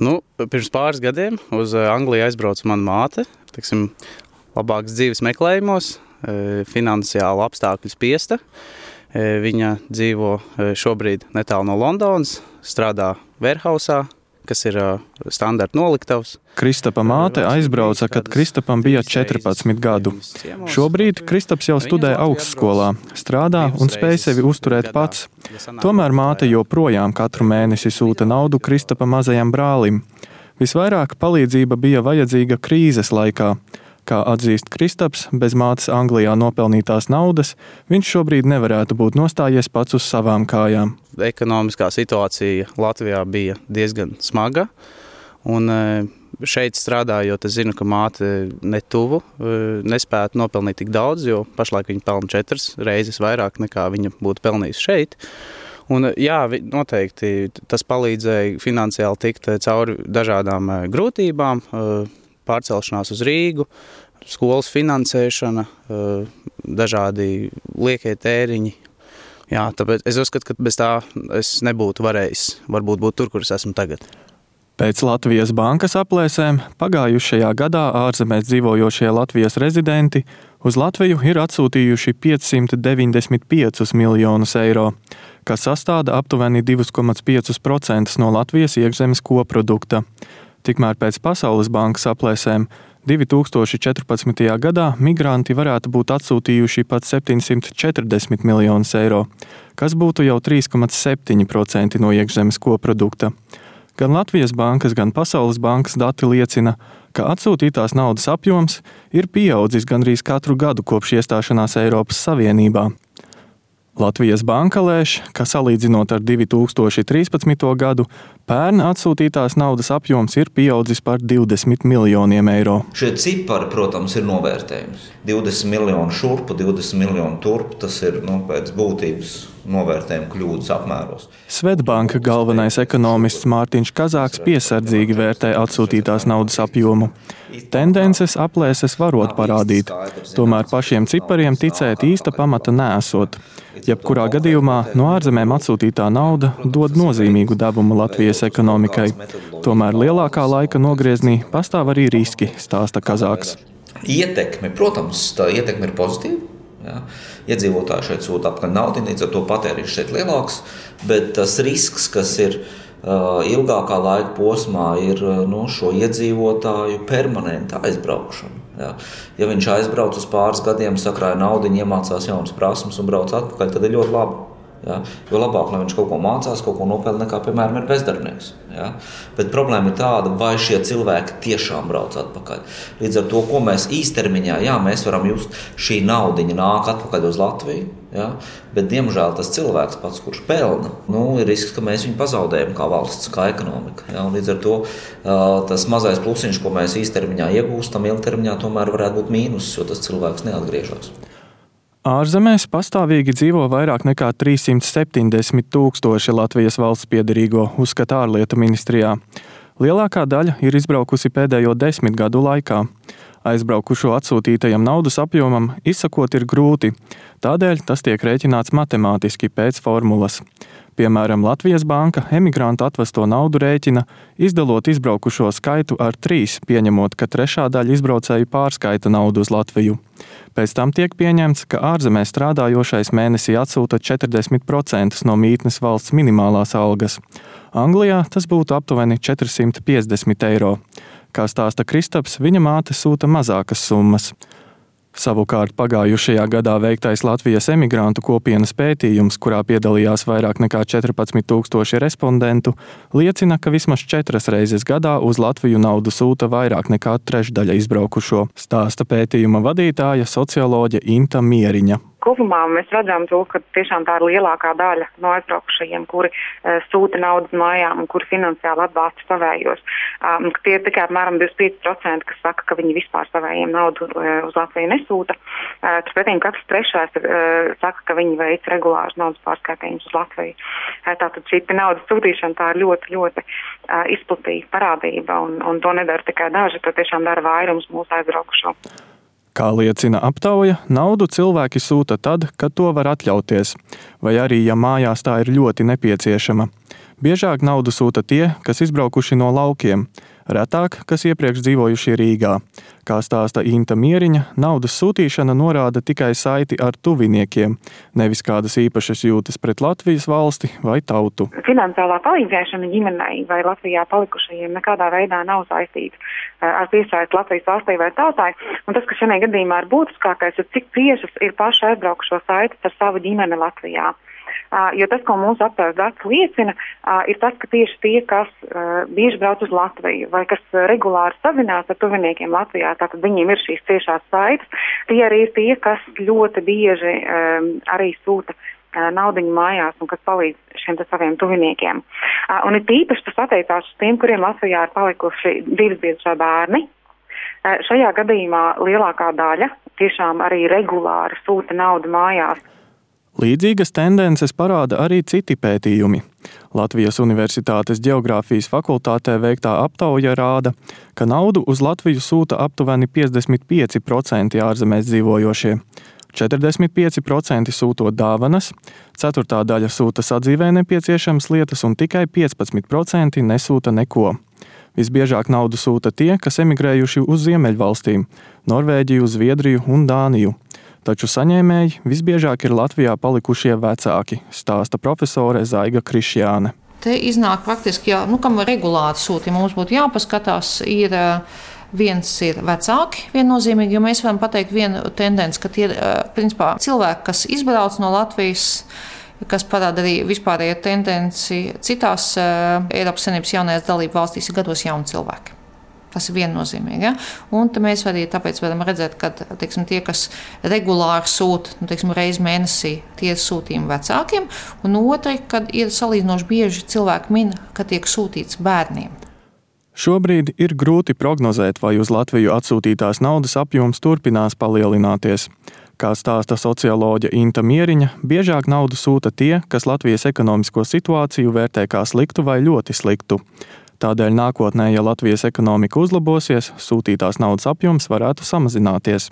Pirms pāris gadiem uz Angliju aizbrauca mana māte, labākas dzīves meklējumos, finansiāli apstākļu spiesta. Viņa dzīvo šobrīd netālu no Londonas, strādā warehausā, kas ir standarta noliktavs. Kristapa māte aizbrauca, kad Kristapam bija 14 gadu. Šobrīd Kristaps jau studē augstskolā, strādā un spēj sevi uzturēt pats. Tomēr māte joprojām katru mēnesi sūta naudu Kristapa mazajam brālim. Visvairāk palīdzība bija vajadzīga krīzes laikā. Kā atzīst Kristaps, bez mātes Anglijā nopelnītās naudas, viņš šobrīd nevarētu būt nostājies pats uz savām kājām. Ekonomiskā situācija Latvijā bija diezgan smaga, un šeit strādājot, es zinu, ka māte netuvu nespētu nopelnīt tik daudz, jo pašlaik viņa pelna 4 reizes vairāk nekā viņa būtu pelnījusi šeit. Un, jā, noteikti tas palīdzēja finansiāli tikt cauri dažādām grūtībām, pārcelšanās uz Rīgu, skolas finansēšana, dažādi liekie tēriņi. Jā, tāpēc es uzskatu, ka bez tā es nebūtu varējis varbūt būt tur, kur es esmu tagad. Pēc Latvijas bankas aplēsēm pagājušajā gadā ārzemēs dzīvojošie Latvijas rezidenti uz Latviju ir atsūtījuši 595 miljonus eiro, kas sastāda aptuveni 2,5% no Latvijas iekšzemes koprodukta. Tikmēr pēc Pasaules bankas aplēsēm 2014. gadā migranti varētu būt atsūtījuši pat 740 miljonus eiro, kas būtu jau 3,7% no iekšzemes koprodukta. Gan Latvijas bankas, gan Pasaules bankas dati liecina, ka atsūtītās naudas apjoms ir pieaudzis gandrīz katru gadu kopš iestāšanās Eiropas Savienībā. Latvijas banka lēš, ka salīdzinot ar 2013. gadu, pērn atsūtītās naudas apjoms ir pieaudzis par 20 miljoniem eiro. Šie cipari, protams, ir novērtējums. 20 miljoni šurpu, 20 miljoni turpu, tas ir pēc būtības novērtējuma kļūdas apmēros. Svedbanka galvenais ekonomists Mārtiņš Kazāks piesardzīgi vērtē atsūtītās naudas apjomu. Tendences aplēses varot parādīt, tomēr pašiem cipariem ticēt īsta pamata neesot. Jebkurā gadījumā no ārzemēm atsūtītā nauda dod nozīmīgu devumu Latvijas ekonomikai. Tomēr lielākā laika nogrieznī pastāv arī riski, stāsta Kazāks. Ietekme, protams, tā ietekme ir pozitīva. Ja? Iedzīvotāji šeit sūta apkaļ naudu, līdz ar to patēriņš šeit lielāks, bet tas risks, kas ir ilgākā laika posmā, ir šo iedzīvotāju permanenta aizbraukšana. Ja viņš aizbrauc uz pāris gadiem, sakrāja naudu, iemācās jaunas prasmes un brauc atpakaļ, tad ir ļoti labi. Ja? Jo labāk, lai viņš kaut ko mācās, kaut ko nopelna, nekā, piemēram, ir bezdarbnieks. Ja? Bet problēma ir tāda, vai šie cilvēki tiešām brauc atpakaļ. Līdz ar to, ko mēs īstermiņā, mēs varam just, šī naudiņa nāk atpakaļ uz Latviju, ja? Bet, diemžēl, tas cilvēks pats, kurš pelna, ir risks, ka mēs viņu pazaudējam kā valsts, kā ekonomika. Ja? Un līdz ar to tas mazais plusiņš, ko mēs īstermiņā iegūstam, ilgtermiņā tomēr varētu būt mīnus, jo tas cilvēks neatgriežas. Ārzemēs pastāvīgi dzīvo vairāk nekā 370 000 Latvijas valsts piederīgo, uzskata ārlietu ministrijā. Lielākā daļa ir izbraukusi pēdējo 10 gadu laikā. Aizbraukušo atsūtītajam naudas apjomam izsakot ir grūti, tādēļ tas tiek rēķināts matemātiski pēc formulas. Piemēram, Latvijas banka emigrantu atvesto naudu rēķina, izdalot izbraukušo skaitu ar 3, pieņemot, ka trešā daļa izbraucēju pārskaita naudu uz Latviju. Pēc tam tiek pieņemts, ka ārzemē strādājošais mēnesī atsūta 40% no mītnes valsts minimālās algas. Anglijā tas būtu aptuveni 450 eiro. Kā stāsta Kristaps, viņa māte sūta mazākas summas. Savukārt pagājušajā gadā veiktais Latvijas emigrantu kopienas pētījums, kurā piedalījās vairāk nekā 14 000 respondentu, liecina, ka vismaz 4 reizes gadā uz Latviju naudu sūta vairāk nekā trešdaļa izbraukušo, stāsta pētījuma vadītāja socioloģe Inta Mieriņa. Kopumā mēs redzam to, ka tiešām tā ir lielākā daļa no aizbraukušajiem, kuri sūta naudas mājām un kuri finansiāli atbalsta savējos. Tie ir tikai apmēram 25%, kas saka, ka viņi vispār savējiem naudu uz Latviju nesūta. Turpretī katrs trešais saka, ka viņi veic regulārus naudas pārskaitījumus uz Latviju. Tātad šī naudas sūtīšana tā ir ļoti, ļoti izplatīta parādība un to nedara tikai daži, to tiešām dara vairums mūsu aizbraukušo. Kā liecina aptauja, naudu cilvēki sūta tad, kad to var atļauties, vai arī, ja mājās tā ir ļoti nepieciešama. Biežāk naudu sūta tie, kas izbraukuši no laukiem, retāk, kas iepriekš dzīvojuši Rīgā. Kā stāsta Inta Mieriņa, naudas sūtīšana norāda tikai saiti ar tuviniekiem, nevis kādas īpašas jūtas pret Latvijas valsti vai tautu. Finansiālā palīdzēšana ģimenei vai Latvijā palikušajiem nekādā veidā nav saistīta ar piesaisti Latvijas valstī vai tautai. Un tas, kas šajā gadījumā ir būtiskākais, ir cik ciešas ir paši aizbraukušo saites ar savu ģimeni Latvijā. Jo tas, ko mūsu aptaujas dati liecina, ir tas, ka tieši tie, kas bieži brauc uz Latviju vai kas regulāri sazinās ar tuviniekiem Latvijā, tātad viņiem ir šīs ciešās saites, tie arī ir tie, kas ļoti bieži arī sūta naudiņu mājās un kas palīdz šiem saviem tuviniekiem. Un ir tīpaši tas attiecās uz tiem, kuriem Latvijā ir palikuši divsbiedrā bērni. Šajā gadījumā lielākā daļa tiešām arī regulāri sūta naudu mājās. Līdzīgas tendences parāda arī citi pētījumi. Latvijas Universitātes ģeogrāfijas fakultātē veiktā aptauja rāda, ka naudu uz Latviju sūta aptuveni 55% ārzemēs dzīvojošie, 45% sūtot dāvanas, ceturtā daļa sūta sadzīvē nepieciešamas lietas un tikai 15% nesūta neko. Visbiežāk naudu sūta tie, kas emigrējuši uz Ziemeļvalstīm – Norvēģiju, Zviedriju un Dāniju. Taču saņēmēji visbiežāk ir Latvijā palikušie vecāki, stāsta profesore Zaiga Krišjāne. Te iznāk praktiski, kam regulāri sūti, mums būtu jāpaskatās, viens ir vecāki viennozīmīgi, jo mēs varam pateikt vienu tendenci, ka tie ir principā cilvēki, kas izbrauc no Latvijas, kas parāda arī vispārējo tendenci citās Eiropas Savienības jaunajās dalību valstīs ir gados jauni cilvēki. Tas ir viennozīmīgi. Ja? Un mēs arī tāpēc varam redzēt, ka tie, kas regulāri sūta reizi mēnesī, tie ir sūtījumi vecākiem, un otri, kad ir salīdzinoši bieži cilvēki min, ka tiek sūtīts bērniem. Šobrīd ir grūti prognozēt, vai uz Latviju atsūtītās naudas apjoms turpinās palielināties. Kā stāsta socioloģe Inta Mieriņa, biežāk naudu sūta tie, kas Latvijas ekonomisko situāciju vērtē kā sliktu vai ļoti sliktu. Tādēļ nākotnē, ja Latvijas ekonomika uzlabosies, sūtītās naudas apjoms varētu samazināties.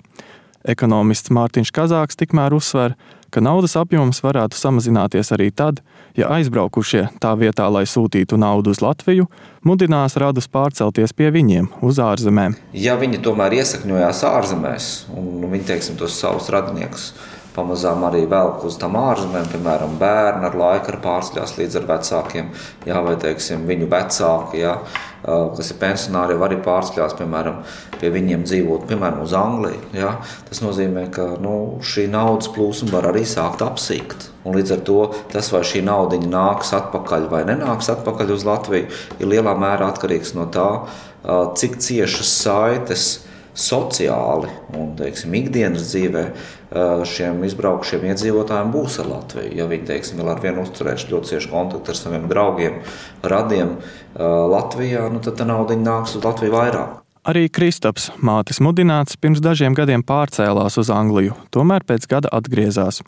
Ekonomists Mārtiņš Kazāks tikmēr uzsver, ka naudas apjoms varētu samazināties arī tad, ja aizbraukušie tā vietā, lai sūtītu naudu uz Latviju, mudinās radus pārcelties pie viņiem uz ārzemēm. Ja viņi tomēr iesakņojās ārzemēs un viņi, tos savus radiniekus pamazām arī velk uz tām ārzemēm, piemēram, bērni ar laiku pārceļās līdz ar vecākiem, vai, viņu vecāki, kas ir pensionāri, arī pārceļās, piemēram, pie viņiem dzīvot, piemēram, uz Angliju. Tas nozīmē, ka šī naudas plūsma var arī sākt apsīkt. Un līdz ar to tas, vai šī naudiņa nāks atpakaļ vai nenāks atpakaļ uz Latviju, ir lielā mērā atkarīgs no tā, cik ciešas saites sociāli un, ikdienas dzīvē šiem izbraukušiem iedzīvotājiem būs ar Latviju. Ja viņi, vēl ar vienu uzturēs ļoti cieši kontaktu ar saviem draugiem, radiem Latvijā, tad tā naudiņa nāks uz Latviju vairāk. Arī Kristaps, mātes mudināts, pirms dažiem gadiem pārcēlās uz Angliju, tomēr pēc gada atgriezās.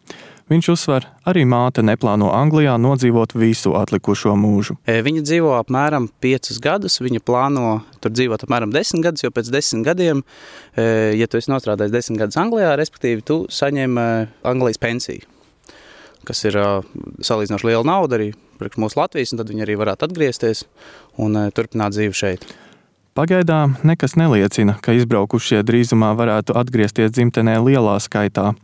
Viņš uzsver, arī māte neplāno Anglijā nodzīvot visu atlikušo mūžu. Viņa dzīvo apmēram 5 gadus, viņa plāno tur dzīvot apmēram 10 gadus, jo pēc 10 gadiem, ja tu esi nostrādājis 10 gadus Anglijā, respektīvi tu saņem Anglijas pensiju, kas ir salīdzinoši liela nauda arī priekš mūsu Latvijas, un tad viņi arī varētu atgriezties un turpināt dzīvi šeit. Pagaidām nekas neliecina, ka izbraukušie drīzumā varētu atgriezties dzimtenē lielā skaitā.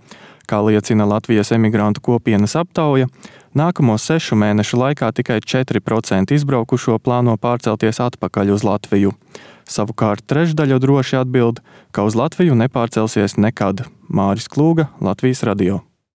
Kā liecina Latvijas emigrantu kopienas aptauja, nākamo 6 mēnešu laikā tikai 4% izbraukušo plāno pārcelties atpakaļ uz Latviju. Savukārt trešdaļa droši atbild, ka uz Latviju nepārcelsies nekad. Māris Klūga, Latvijas radio.